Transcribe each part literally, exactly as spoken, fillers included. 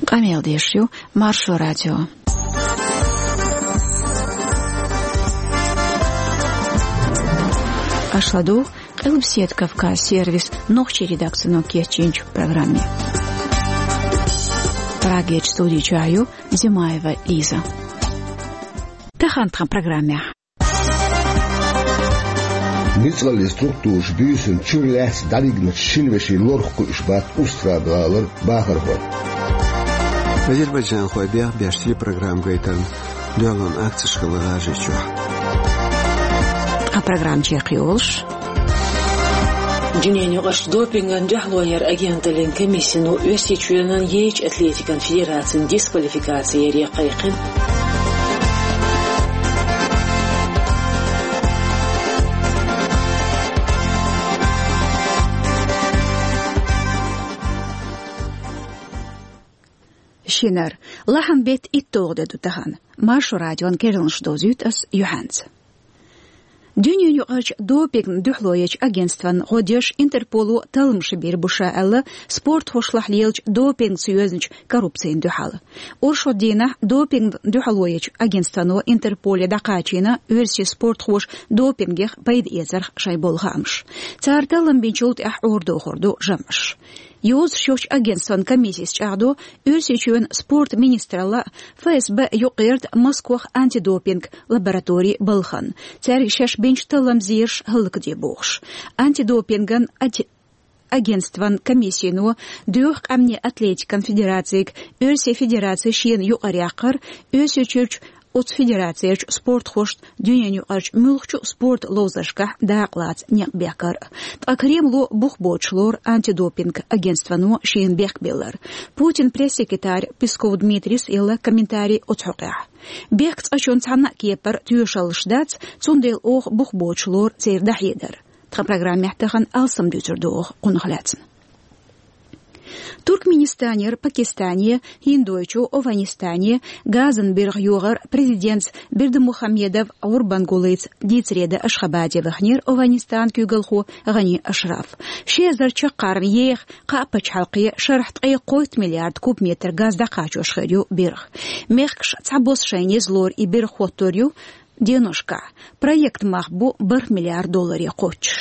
Къамел деш ю Маршо радио. Аша ладугӀу Къилбаседа Кавказ сервисан нохчийн редакцино кечйинчу программе. Прагерчу студи чохь ю Димаева Лиза. Тахана тхан программехь. Ницкъаллин структураш буьйсанна чуьра лаьцна дӀадигначу шина вешин лорах кхуьуш бац Устрада-гӀалара бахархой. Азербайджанхой бехбеш телепрограмма гайтарна дуьхьалонан акцеш хилла ГӀажарийчохь. Тхан программа чекхйолуш. Дуьненаюкъарчу допингана дуьхьало яран агенталлин комиссино Оьрсийчоьнан ейчу атлетикан федерацин дисквалификаци яре кхайкхина. Шинара. Лахьан беттан итталгӀа де ду тахана. Маршо радион керланаш довзуьйту ас юьхьанца. Дуьненаюкъарчу допингана дуьхьало ечу агентстван гӀо деш Интерполо талламаш бийр бу ша аьлла, спортхошлахь лелачу допингца йоьзначу коррупцина дуьхьал. Оршот дийнахь допингана дуьхьало ечу агентствано Интерполе дӀакхачийна оьрсийн спортхоша допингех пайда эцарх шайн болу хаамаш. Цара таллам бинчул тӀаьхьа Ӏорадохур ду жамӀаш. Йозуш йолчу агентстван комиссис чӀагӀдо, Оьрсийчоьнан спортан министралла а, ФСБ а юкъагӀерта Москвахь антидопинг лаборатори балхана, цаьрга шаьш бинчу талламан зераш хӀаллакде бохуш. Антидопинган ати-, агентстван комиссино доьху къаьмнийн атлетикан федерацига Оьрсийн федераци шена юкъара яккхар, Оьрсийчуьрчу оцу федерацерчу спортхошна дуьненаюкъарчу муьлххачу спортан ловзаршкахь дакъалаца некъ бехкар. Ткъа Кремло бух боцуш лору антидопинг агентствано шена бехк биллар. Путинан пресс-секретарь Песков Дмитрийс елла комментарий оцу хьокъехь. Бехк цкъачунна цхьанна а кепара тоьшаллаш дац, цундела оха бух боцуш лору церан дӀахьедар. Тхан программехь тахана алсам дуьйцур ду оха кхунах лаьцна. Туркменистанера Пакистане, ХӀиндойчу Афганистане газан биргӀа йогӀар президентца Бердымухамедов Гурбангулыца дийцаре дан Ашхабаде ваханера Афганистанан куьйгалхо ГӀани Ашраф. Ши эзар чаккхарма еха кхаа пачхьалкхе шарахь ткъе кхойтта миллиард кубометр газ дӀакхачош хир ю биргӀа. Мехкаша цхьабосса шайна еза лору и биргӀа хӀоттор ю деношкахь. Проектан мах бу бархӀ миллиард долларе кхоччуш.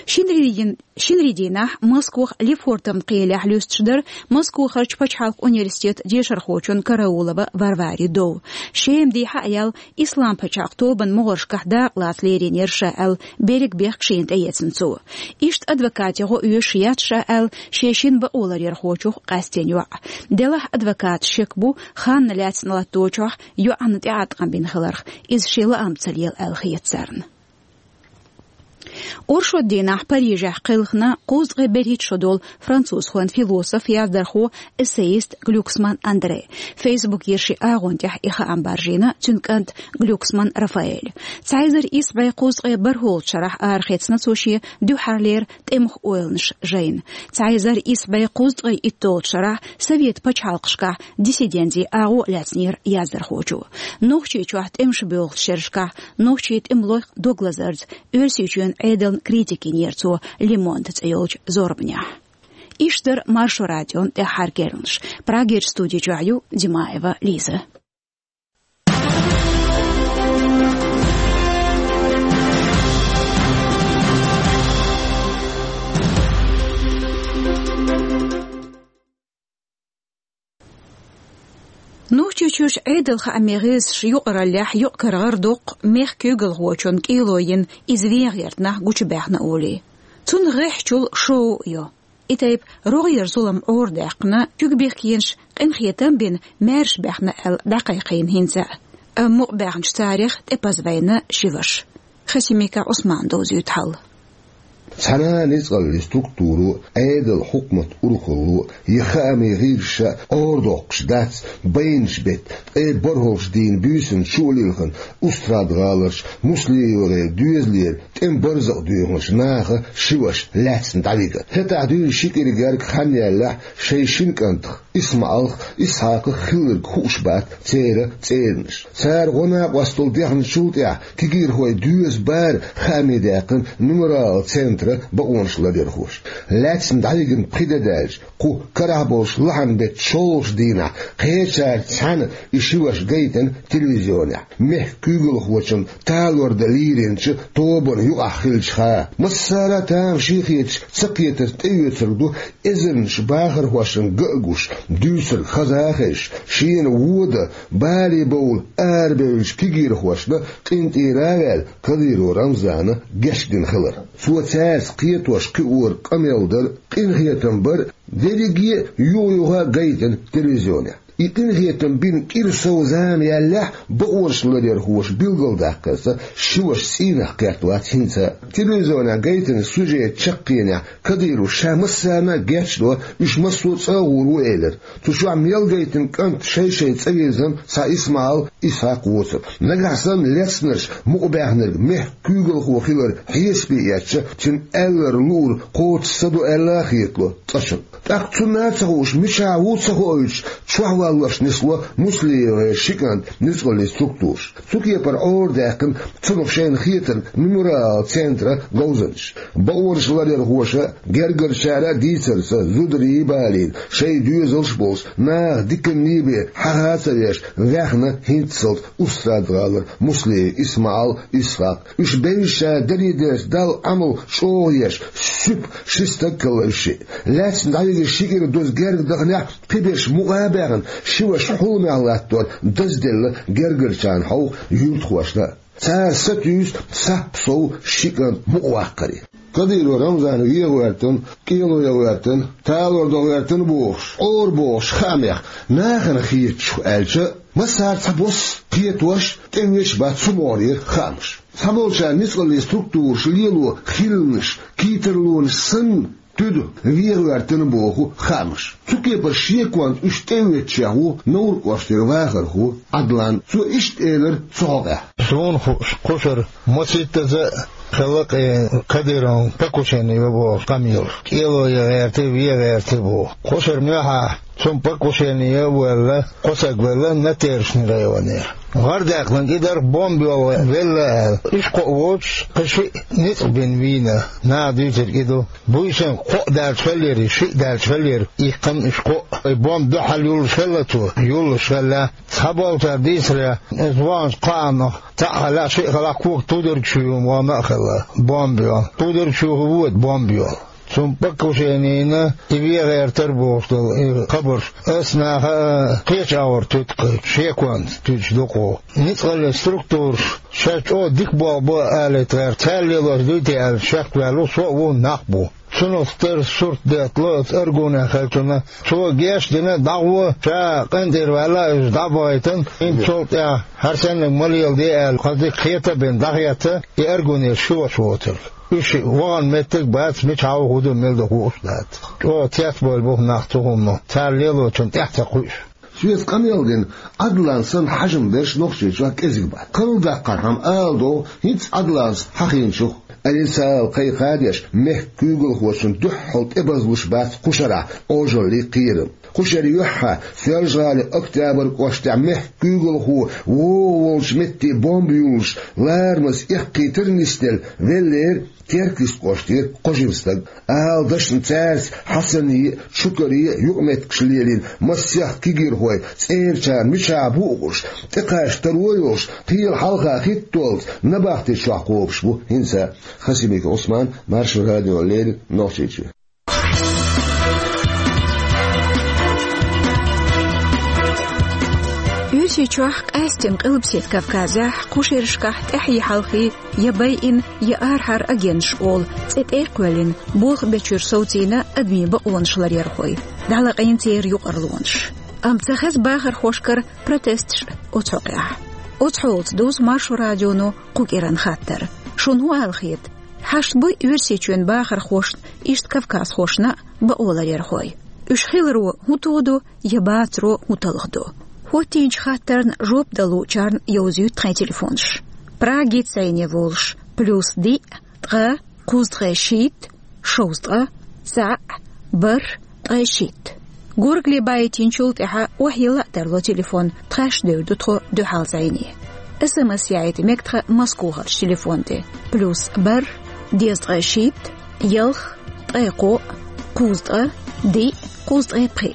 Шинарин, шинарин дийнахь Москвахь Лефортовн кхелехь луьстуш дара Москвахарчу пачхьалкхан университетан дешархочун Караулова Варварин дов. Шеман дийнахь а ял Ислам пачхьалкх тобанан могӀаршкахь дакъалаца леринера ша аьлла, берриг бехк шена тӀеэцна цо. Иштта адвокатан гӀо оьшуш яц ша аьлла, шен шина бакъоларъярхочух къаьстина йоӀ. Делахь адвокаташна шек бу, ханна лаьцна латточохь йоӀана тӀеӀаткъам бина хиларх, иза шен лаамца ца лела аьлла хета царна. Оршот дийнахь Парижехь кхелхина кхузткъе берхӀитта шо долу французхойн философ, яздархо, эссеист Глюксман Андре. Фейсбукера шен агӀон тӀехь и хаам баржийна цуьнан кӀанта Глюксман Рафаэля. Цхьа эзар исс бӀе кхузткъе бархӀолгӀачу шарахь арахецна цо шен дуьххьарлера тӀемах ойланаш жайна. Цхьа эзар исс бӀе кхузткъе итталгӀачу шарахь Совет пачхьалкхашкахь диссиденцин агӀо лаьцнера яздархочо. Нохчийчохь тӀемаш боьлхучу шерашкахь нохчийн тӀемалойх дог лазарца Оьрсийчоьнан Ӏедална критика йинера цо Le Monde цӀе йолчу зорбанехь. Иштта дара Маршо радион тӀаьххьара керланаш. Прагерчу студи чохь ю Димаева Лиза. Нохчийчуьрчу Ӏедалан хаамийн гӀирсаша юкъараллехь юкъ-кара гӀардоккху мехкан куьйгалхочун кӀело йина иза вен гӀертанахь гучубаьхна олий. Цунна гӀеххьачул шоу а йо. И тайпа рогӀера зулам Ӏорадаьккхина, куьг бехкенаш къинхетам а бина, маьрша баьхна аьлла дӀакхайкхийна хӀинца а. Амма мукъабаьхначу царех тӀепаза вайна ши ваша. Хасимиков Ӏусмана довзуьйту хьал. Цхьана а ницкъаллин структуро, Ӏедалан хьукматан урхалло я хаамийн гӀирсаша Ӏорадоккхуш дац байначу беттан ткъе бархӀалгӀачу дийнан буьйсанна чу а лилхина Устрада-гӀаларчу Муслим-ГӀалин доьзалера тӀеман барзакъ доьхначу наха ши ваша лаьцна дӀавигар. ХӀетахь дуьйна ши кӀира гергга хан яьллехь, шайн шина кӀантах ИсмаӀалх, Исхьакхах хилларг хууш бац церан цӀеранаш. Цара гӀо накъосталла дехначул тӀаьхьа кегийрхойн доьзал бара хаамдаьккхина мемориалан центр. бакъонаш ларъярхоша. Лаьцна дӀавигна пхи де даьлча, кху карахь болчу лахьан беттан шолгӀачу дийнахь кхечаьрца цхьаьна и ши ваша гайтина телевизионехь, мехкан куьйгалхочун талор дан лийринчу тобанна юкъахь хиллачуха. Массара а тамашийна хеташ, ца кхетарца тӀеоьцург ду эзарнаш бахархошна ган а гуш, дуьйцург хаза а хезаш, шена вон дан бале бовла арабевллачу кегийрхошна къинтӀера а ваьлла, Кадыров Рамзана гечдина хилар. Цо цаьрца кхетош-кхиорг къамел дара, къинхетам бара, дерриге а юха-юха гайтина телевизионехь. И къинхетам бина кӀира сов зама яьллехь, бакъонаш ларъярхоша билгалдаьккхира, ши ваша цӀийнах кхетта вац хӀинца а. Телевизионехь гайтина сюжетан чаккхенехь Кадыровс ша массарна а гечдо, уьш массо а цӀа а гӀур ву элира. Цу чохь мел гайтина кӀант шай-шайн цӀа вирзина цхьа ИсмаӀал, Исхьакх воцург. Нагахь санна лецнарш мукъабаьхнарг мехкан куьйгалхо хилар хьесапе эцча, цуьнан аьлларг луург кхочуш ца до аьлла а хетало цкъачунна. ТӀаккха цунна а ца хууш, мичахь ву ца хоуьйтуш, чохь валлош нисло МуслиевгӀеран ши кӀант ницкъаллин структураша. Цу кепара Ӏорадаьккхина цунах шайна хетарг Мемориал центран говзанчаша. Бакъонаш ларъярхоша а, гергарчара а дийцарца, зударий а балийна, шайн доьзалш а болуш, наха диканний бен хьаха а ца веш, ваьхна хӀинццалц Устрада-гӀалара Муслиев ИсмаӀал, Исхьакх. Уьш бевзачара даре дерш Далла Ӏамал чӀогӀа еш, суьпа ши стаг хилла уьш шиъ. Лаьцна дӀавигира ши кӀира доза герга даханехь, кхиберш мукъа а баьхна, ши ваша хьуламехь латтор дазделла гергарчарна хьовха юьртахошна а. Цара сатуьйсу сап сов ши кӀант мукъаваккхаре. Кадыров Рамзан вен гӀоьртина, кӀело ян гӀоьртина, талор дан гӀоьртина бохуш, Ӏора бохуш хаамех нахана хеташ ву аьлча, массара а цхьабосса кхетош, тӀевеш а бац цу могӀарера хаамаш. Цхьаболчара ницкъаллин структураша лело хилалаш, кхетарлонаш санна, туьду вен гӀоьртина боху хаамаш. Цу кепара шеконца уьш тӀеоьцучех ву Невран кӀоштара вахархо Ӏадлан. Цо иштта элира цу хьокъехь: Суна хууш, кхушара масийттаза а хилла кхин Кадыровн покушение йо бохуш къамелаш. КӀело ян гӀерта, вен гӀерта боху. Кхушара муьххьехь цунна покушение ян а ваьлла, кхо стаг велла Натершни районера. ГӀар даьккхинарг и дара, бомба йолу велла аьлла. Уьш кхоъ воцуш, кхин шиъ ницкъ бина вийна, наха дуьйцург и ду. Буьйсанна кхоъ даьлча хиллера, шиъ даьлча хиллера, иккхина уьш кхоъ. И бомба дуьхьал юллуш хилла цо, юллуш хилла. Цхьаболчара дийцарехь, иза ваханчу кхаанах цхьаъ хилла, шиъ хилла, кога тудург чу юна вахана а хилла, бомба йолу. Тудург чу хӀун воьду бомба йолу? Цунна покушение йина, и вен гӀертара бохуш долу и хабарш ас наха а кхечу агӀор туьту кхин, шеконца туьдуш ду-кх. Ницкъаллин структураша шаьш чӀогӀа дика болх бо алийта гӀерта, цара лелош дуй те аьлла, шекваьлла ву, со а ву, нах а бу. Цунах тера сурт деттало оцу Аргунехь хиллачунна. Цо геч а дина, дӀагӀо, ша къинтӀера ваьлла, иза дӀа а бахийтина, хӀинца цул тӀаьхьа хӀара саннарг ма леладе аьлла, кхин дика хета а бина, дӀахетта и Аргунера ши ваша воцург. Уьш вахана меттиг а бац, мичахь ву, хӀун ду, мила ду хууш а дац. ЧӀогӀа цецбевлла бу-кх нах цу хӀумано, цара лелочунна тӀаьхьа ца кхуьуш. Соьца къамел дина Ӏадлан санна хьажам берш Нохчийчохь кӀезиг бац. Карладаккхархьама ала догӀу хӀинца Ӏадланца хьахийначух. Алисал кхайкха а деш, мехкан куьйгалхочунна дуьххьал тӀебазлуш бац кхушарахь Ӏожаллий, кхерам. Кхушара юьххьехь, Соьлжа-ГӀалин Октябрь кӀоштехь мехкан куьйгалхо вогӀу волчу метте бомба юллуш, ларамаза эккхийтар а нисделла, веллера Теркйист кӀоштера кхо жима стаг. Ала дашна, цаьрца Хьасане а, Чукаре а юкъаметтигаш лелийна масех кегийрхой, цӀерачарна мичахь бу уьш, тӀекхача таро йолуш, кхела хьалха хӀиттоллаца набахти чохь кхобуш бу хӀинца а. Хасимиков Ӏусман, Маршо радиона леррина, Нохчийчоь. Оьрсийчохь, къаьсттина Къилбаседа Кавказехь, кху шерашкахь тӀаьхьий-хьалхий я байина, я арахьара агенташ олу цӀе тӀе а кхоьллина, болх бечуьра совцийна адамийн бакъонаш ларъярхой. ДӀалаьцна церан юкъарлонаш. Амма ца хеза бахархошкара протесташ оцу хьокъехь. Оцу хьолаца дузу Маршо радионо кху кӀиран хаттар. Шуна хӀун ала хета? Хьашт буй Оьрсийчоьнан бахархошна, иштта кавказхошна а бакъо ларъярхой? Уьш хиларо хӀун тодо я бацаро хӀун талхадо? ХӀоттийначу хаттарна жоп дала луучарна йовзуьйту тхайн телефонаш. Прагица зӀене волуш: плюс диъ, ткъа, кхузткъе шийтта, шовзткъа, цхьаъ, бархӀ, ткъе шийтта. Горгали баийтинчул тӀаьхьа охьайилла а тарло телефон, тхаьш девр ду тхо дуьхьал зӀене. СМС яийта мега тхан Москвахарчу телефон тӀе: плюс бархӀ, дезткъе шийтта, Ялх, ткъаь кхоъ, кхузткъа, диъ, кхузткъаь пхиъ.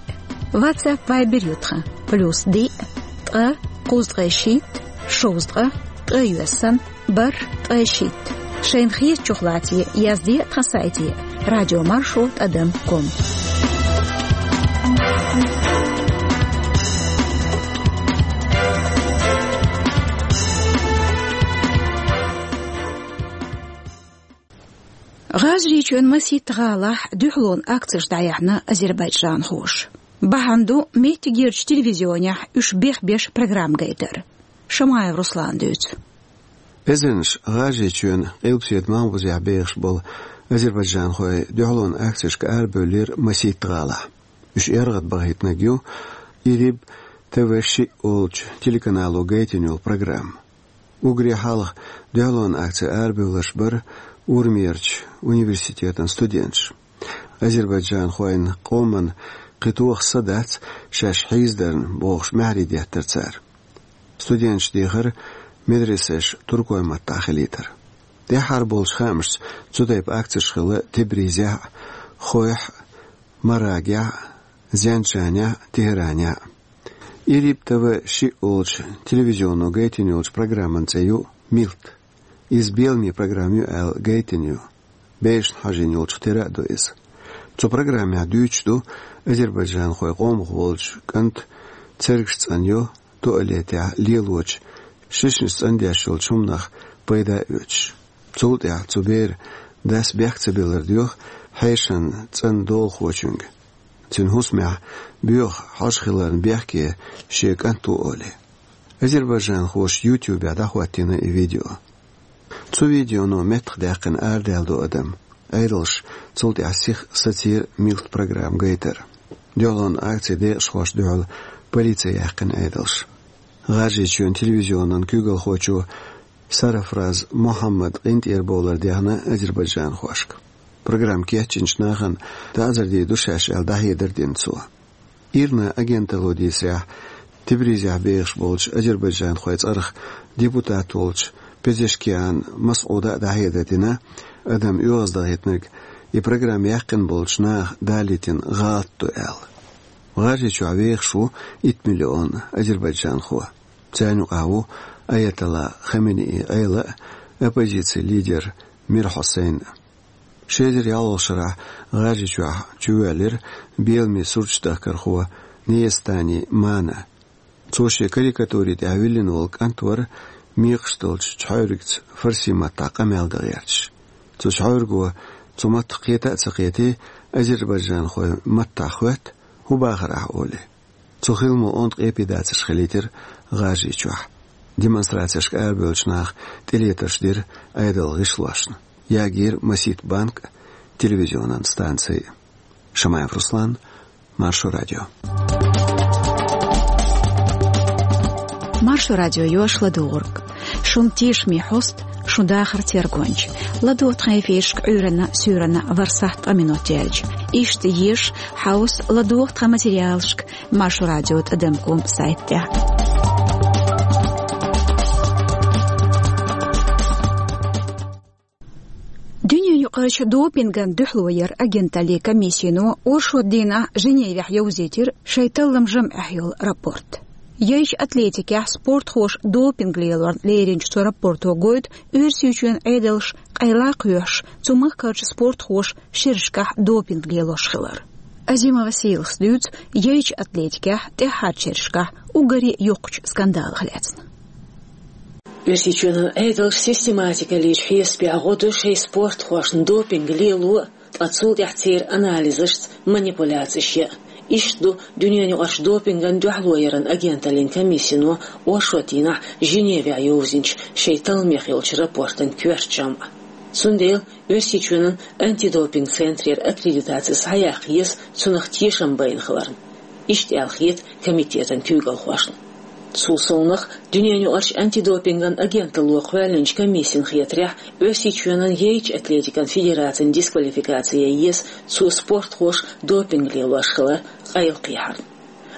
WhatsApp, Viber ю тхан: плюс диъ, ткъа, кхузткъаь шийтта, шовзткъа, ткъаь йоьссан, бархӀ, ткъаь шийтта. Шайна хетачух лаьцна язде тхан сайте: радиомаршо тӀадам ком. ГӀажарийчоьнан масийтта гӀалахь дуьхьалонан акцеш дӀаяьхьна азербайджанхоша. Бахьана ду меттигерчу телевизионехь уьш бехбеш программа гайтар. Шамаев Руслана дуьйцу. Эзарнаш ГӀажарийчоьнан къилбаседа малхбузехь бехаш болу азербайджанхой дуьхьалонан акцешка арабевллера масийтта гӀалахь. Уьш эргӀад бахийтинарг ю Ириб ТВ шиъ олучу телеканало гайтина йолу программа. Уггаре хьалха дуьхьалонан акце арабевлларш бара Урмерчу университетан студенташ. Азербайджанхойн къоман кхин тоха са дац шаьш хьийзадарна, бохуш, маьхьарий деттара цара. Студенташа дехара медресеш туркойн маттахь хилийтар. ТӀаьххьара болчу хаамашца цу тайпа акцеш хилла Тебризехь а, Хойхь а, Марагехь а, Зенджанехь а, Тегеранехь а. Ириб ТВ шиъ олучу телевизионо гайтина йолчу программан цӀе ю «Милт». Иза беламе программа ю аьлла гайтина ю. Бешна хьажийна йолчух тера а ду иза. Цу программехь дуьйцуш ду азербайджанхойн къомах волчу кӀанта цергаш цӀанйо туалетехь лелочу шишнаш цӀандеш йолчу хӀуманах пайда а оьцуш. Цул тӀаьхьа цу беран дас бехк ца биллар доьху хьешан цӀанна долахочуьнга. Цуьнан хӀусамехь боьха хьожа хиларна бехке шен кӀант ву олий. Азербайджанхоша YouTube-ехь дӀахӀоттийна и видео. Цу видеоно меттахдаьккхина арадаьлла ду адам, Ӏедалша цул тӀаьхьа сиха сацийра «Милт» программа гайтар. Дуьхьалонан акцин декъашхошна дуьхьал полици яьккхина Ӏедалша. ГӀажарийчоьнан телевизионан куьйгалхочо Сарафраз Мухьаммада къинтӀера бовлар дехна азербайджанхошка. Программа кечйинчу нахана таӀзар дийр ду шаьш аьлла, дӀахьедар дина цо. ИРНА агенталло дийцарехь, Тебризехь бехаш болчу азербайджанхойн цӀарах депутат волчу Пезешкиан Масъуда а дӀахьедар дина, адам оьгӀаздахийтинарг и программа яьккхина болчу наха далийтина гӀалат ду аьлла. ГӀажарийчохь вехаш ву итт миллион азербайджанхо. Царна юкъахь ву аятолла Хаменеи Ӏела а, оппозицин лидер Мир Хьусайн а. Ши эзар ялхалгӀа шарахь ГӀажарийчохь чувоьллира беламе сурташ дахкархо Неестани Мана. Цо шен карикатури тӀехь виллина волу кӀант вара мекхаш долчу чхьаьвригца фарси маттахь къамел дан гӀерташ. Цу чхьаьвриго цу маттах кхета а ца кхетий, азербайджанхойн маттахь хоьтту: «ХӀун бахара ахь?» — олий. Цу хиламо онда къепе дацарш хилийтира ГӀажарийчохь. Демонстрацешка арабевллачу наха тӀелетарш дира Ӏедалан гӀишлошна. Ягийра масийтта банк а, телевизионан станци а. Шамаев Руслан, Маршо радио. Маршо радио йош ладугӀург. Шун тешаме хьост, шун дахар тергонча. ЛадогӀа тхан эфиршка Ӏуьйранна, суьйранна, вархӀ сахьт ткъа минот яьлча. Иштта еза, хьовса, ладогӀа тхан материалшка Маршо радио тӀадам ком сайт тӀехь. Дуьненаюкъарчу допинган дуьхьало яран агенталлин комиссино оршот дийнахь Женевехь йовзийтира шайн талламан жамӀех йолу рапорт. Яйчу атлетикехь спортхоша допинг лелорна леринчу цу рапорто гойту Оьрсийчоьнан Ӏедалш къайла а кхоьхьуш, цу махкарчу спортхоша шерашкахь допинг лелош хилар. Азимова Сийлахас дуьйцу яйчу атлетикехь тӀаьххьарчу шерашкахь уггаре йоккхачу скандалах лаьцна. Оьрсийчоьнан Ӏедалш систематикалличу хьесапехь гӀо до шайн спортхошна допинг лело а, ткъа цул тӀаьхьа церан анализашца манипуляцеш ян а. Иштта ду Дуьненаюкъарчу допинган дуьхьало яран агенталлин комиссино оршот дийнахь Женевехь йовзинчу шайн талламех йолчу рапортан коьрта жамӀ. Цундела Оьрсийчоьнан антидопинг центрера аккредитаци схьаяккха еза цунах тешам байна хиларна. Иштта аьлла хета комитетан куьйгалхошна. Цул совнаха, Дуьненаюкъарчу антидопинган агенталло кхоьллинчу комиссин хетарехь, Оьрсийчоьнан яйчу атлетикан федерацин дисквалификаци ян еза цо спортхоша допинг лелош хилар къайлакхехьарна.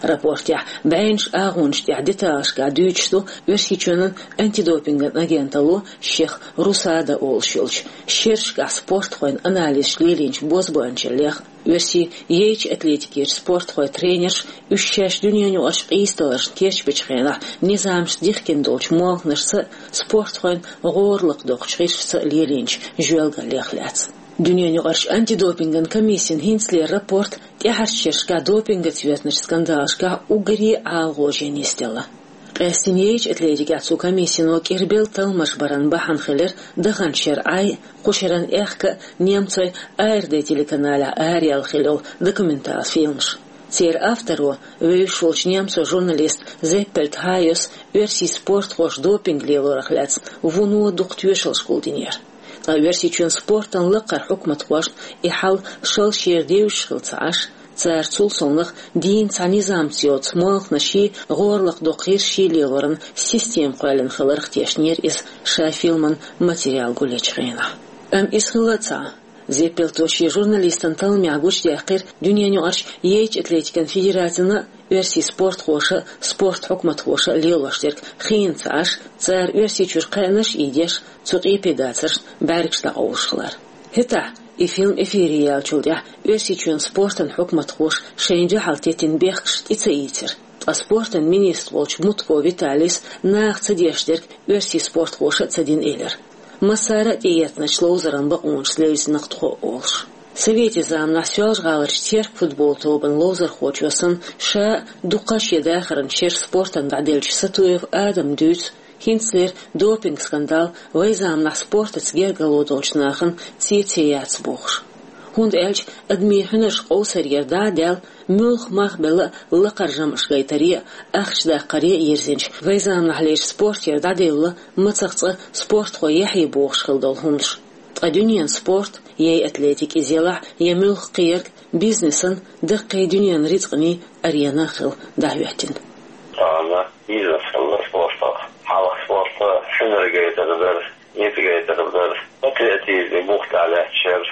Рапортехь бӀеннаш агӀонаш тӀехь деталашкахь дуьйцуш ду Оьрсийчоьнан антидопинган агенталло, шех РУСАДА олуш йолчу, шерашкахь спортхойн анализаш лелийначу бозбуунчаллех. Оьрсийн яйчу атлетикерчу спортхойн тренерш, уьш шаьш дуьненан юкъарчу къийсадаларшна кечбечу хенахь низамашца дихкина долчу молханашца а, спортхойн гӀора лакхадоккхучу гӀирсашца а лелийначу жоьлгаллех лаьцна. Дуьненан юкъарчу антидопинган комиссин хӀинцалера рапорт тӀаьхьарчу шерашкахь допингаца йоьзначу скандалашкахь уггаре а ӀалагӀожийна нисделла. Къаьстина яйчу атлетикехь цу комиссино кӀирбелла талламаш баран бахьана хилира даханчу шеран Ӏай а, кху шеран аьхка а немцойн АРД телеканалехь араяьлла хилла йолу документал фильмаш. Церан авторо, вевзаш волчу немцойн журналист Зеппельт Хайос, оьрсийн спортхоша допинг лелорах лаьцна вуно дукха тоьшаллаш гулдинера. Ткъа Оьрсийчоьнан спортан лакхара хьукматхошна и хьал шал шера девзаш хилла ца Ӏаш, цара цул совнаха дийна цхьа низамца йоцу молханашший, гӀора лакхадоккху гӀирсашший лелоран система кхоьллина хиларх тешнера иза, ша фильман материал гулъечу хенахь. Амма иза хилла а ца Ӏа. Зеппельто шен журналистан талламехь гучудаьккхира дуьненан юкъарчу яйчу атлетикан федерацина а, оьрсийн спортхоша а, спорт хьукматхоша а лелош дерг хиъна ца Ӏаш, цара Оьрсийчуьра кхаьънаш а ийдеш, цу къепе дацаршна бӀаьргаш дӀакъовлуш хилар. ХӀетахь, и фильм эфире яьллачул тӀаьхьа Оьрсийчоьнан спортан хьукматхоша шайна дуьхьал теттина бехкаш тӀе ца ийцира. Ткъа спортан министр волчу Мутко Виталис наха ца деш дерг оьрсийн спортхоша а ца дина элира. Массара а тӀеэцначу ловзаран бакъонашца левзина-кх тхо, олуш. Советан заманахь Соьлжа-ГӀаларчу Терк футбол тобанан ловзархочо санна, ша а, дуккха а шен дахаран шераш спортана дӀаделлачу Сатуев Адама дуьйцу, хӀинцалера допинг-скандал вайн заманахь спортаца гергарло долчу нахана цецъяц бохуш. ХӀунда аьлча адамийн хьуьнарш къовсарера дӀа а даьлла, муьлхха мах белла а лакхара жамӀаш гайтаре а, ахча даккхаре а йирзинчу вайн заманахьлерчу спортера дӀаделла мацах цкъа спортхойн яхье бохуш хилла долу хӀуманаш. Ткъа дуьненан спорт, я атлетика иза елахь, я муьлхха кхин ерг, бизнесан, даккхий дуьненан рицкъанийн арена а хилла дӀахӀоьттина. Тахана бизнес хилла спортах. Хьалха спорт хьуьнар гайтар дара, ницкъ гайтар дара. Патриотизме бух тӀехь лаьтташ яра,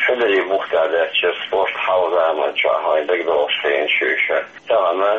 хьуьнаре бух тӀехь лаьтташ яра спорт хьалха заманчохь, вайна дагадогӀуш хенаш ю уьш. Тахана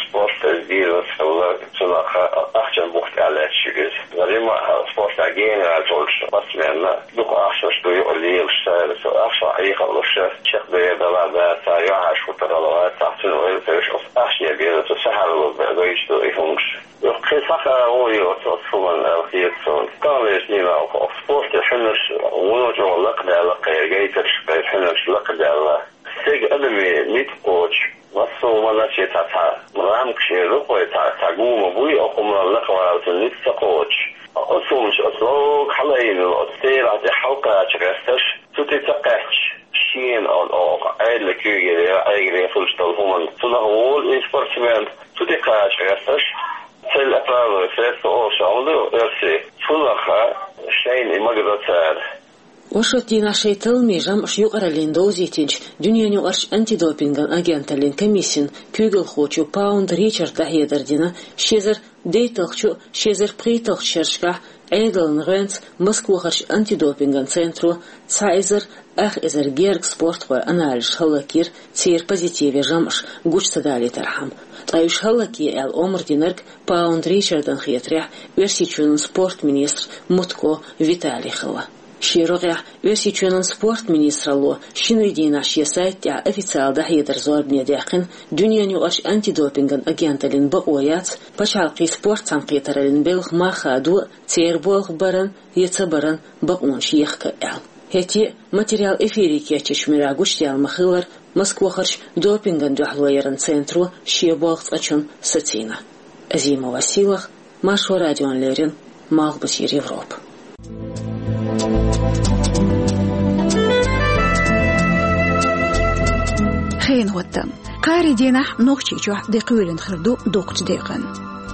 спорт иза бизнес хилла, цунах ахчан бух тӀехь лаьтташ ю иза. Римма спортехь гена гӀерташ волчу спортсменна дукха ахчанаш ду юкъа лелаш цара, со ахча Ӏехалуш, чекхдер далар дацахь, юьхьӀаьржа хӀуттар гӀала вацахь, цуьнан ойла ца йеш, оцу ахчане беза, цу сахьаралла бе-, гойтуш ду и хӀуманаш. Юха кхин схьа хаа гӀо йо оцу хӀуманна аьлла хета суна. Таханлерчу дийнахь оха спорте хьуьнарш вуно чӀогӀа лакхадаьлла, кхеран гайтарш, кхеран хьуьнарш лакхадаьлла. Стеган адаме ницкъ кхочу, массо а ма наче цхьа, цхьа рамкаш эр ду-кх вай, цхьа, цхьа гума буй, оха хӀума лакхавала цунна ницкъ ца кхочуш. Оцу хӀуманаш, оцу лога хьалаайна йолу оцу терахь тӀе хьалакхача гӀерташ, цу тӀе ца кхаьчча, шена оха Ӏедалан куьйгалле, Ӏегале хуьлуш долу хӀуманна, цунах волу и спортсмен, цу тӀе кхача гӀерташ, цель оправдывает средства олуш хӀума ду оьрсийн, цунах шайна и магадо цара. Оршотдийнахь шайн талламийн жамӀаш юкъараллина довзийтинчу дуьненан юкъарчу антидопинган агенталлин комиссин куьйгалхочо Паунд Ричарда дӀахьедар дина ши эзар дейтталгӀачу, ши эзар пхийтталгӀачу шерашкахь Ӏедалан гӀоьнца Москвахарчу антидопинган центро цхьа эзар ах эзар гергга спортхойн анализаш хӀаллакйира, церан позитиве жамӀаш гучу ца далийтархьама. Ткъа уьш хӀаллакъе аьлла омра динарг Паунд Ричардана хетарехь, Оьрсийчоьнан спорт министр Мутко Виталий хилла. Шен рогӀехь Оьрсийчоьнан спорт министралло шинарин дийнахь шен сайта тӀехь официалан дӀахьедар зорбане даьккхина дуьненан юкъарчу антидопинган агенталлин бакъо яц пачхьалкхийн спорт цхьаьнакхетараллин белхан мах хадо а, церан болх баран я ца баран бакъонаш ехка а аьлла. ХӀетте а материал эфире кечйинчу муьрехь гучудаьлла ма-хиллара, Москвахарчу допингана дуьхьало яран центро шен болх цкъачунна сацийна. Азимова Сийлаха, Маршо радиона леррина, Малхбузера Европа. Хенан хӀоттам. Кхаарин дийнахь Нохчийчохь де кхоьлина хир ду доккхачу декъана.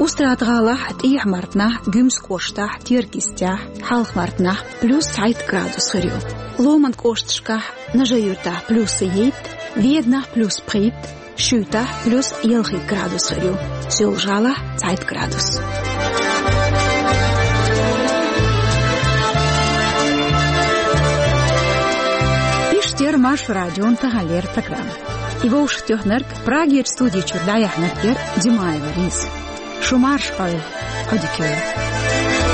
Устрада-ГӀалахь, ТӀехьа-Мартанахь, Гуьмсан кӀоштахь, Теркйистехь, Хьалха-Мартанахь плюс цхьайтта градус хир ю. Ломан кӀошташкахь, Нажи-Юьртахь плюс цхьайтта, Веданахь плюс пхийтта, Шуьйтахь плюс ялхитта градус хир ю, Соьлжа-ГӀалахь цхьайтта градус. Иштта яра Маршо радион таханлера программа. И вовшахтоьхнарг, Прагерчу студи чуьра дӀаяьхьнарг яра Димаева Лиза. Шу марша Ӏойла, Ӏодика йойла.